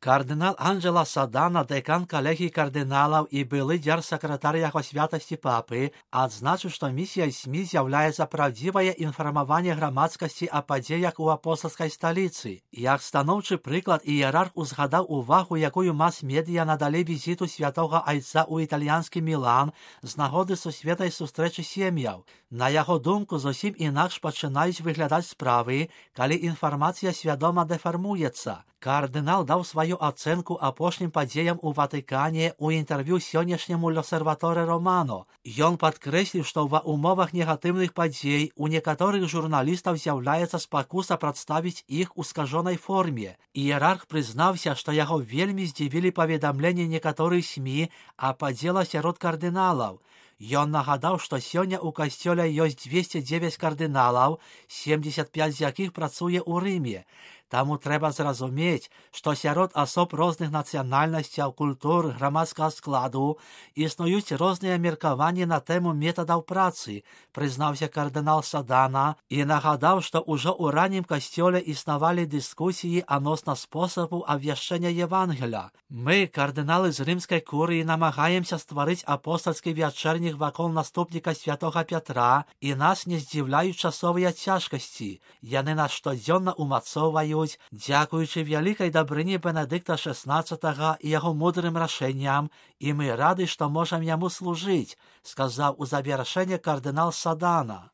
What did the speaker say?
Кардинал Анджело Садана, декан калегії кардиналаў і былы дзяржсакратар яго святасці папы, адзначыў, што місіяй СМІ з'яўляецца праўдзівае інфармаванне грамадскасці о падзеях у апостальскай сталіцы. Як станоўчы прыклад, іерарх узгадаў увагу, якую мас-медыя надалі візіту святога айца ў італьянскі Мілан з нагоды сусветнай сустрэчы сем'яў. На яго думку, зусім інакш пачынаюць выглядаць справы, калі інфармацыя свядома дэфармуецца. Кардынал даў сваю ацэнку апошнім падзеям у Ватыкане ў інтэрв'ю сённяшняму L'Osservatore Romano. Ён падкрэсліў, што ва ўмовах негатыўных падзей у некаторых журналістаў з'яўляецца спакуса прадставіць іх у скажонай форме. Іерарх прызнаўся, што яго вельмі здзівілі паведамленні некаторых СМІ о падзелах сярод кардыналаў. Ён нагадаў, што сёння ў касцёле ёсць 209 кардыналаў, 75 з якіх працуе ў Рыме. Таму трэба зразумець, што сярод асоб розных нацыянальнасцяў, культур, грамадскага складу існуюць розныя меркаванні на тэму метадаў працы, прызнаўся кардынал Садана і нагадаў, што ўжо ў раннім касцёле існавалі дыскусіі адносна спосабу абвяшчэння Евангеля. Мы, кардыналы з рымскай курыі, намагаемся стварыць апостальскі вячэрнік вакол наступніка святога Пятра, і нас не здзіўляюць часовыя цяжкасці. Яны нас штодзённа умацоўваюць, дзякуючы вялікай дабрыні Бенедыкта XVI і яго мудрым рашэнням, і мы рады, што можам яму служыць, сказаў у завяршэнне кардынал Садана.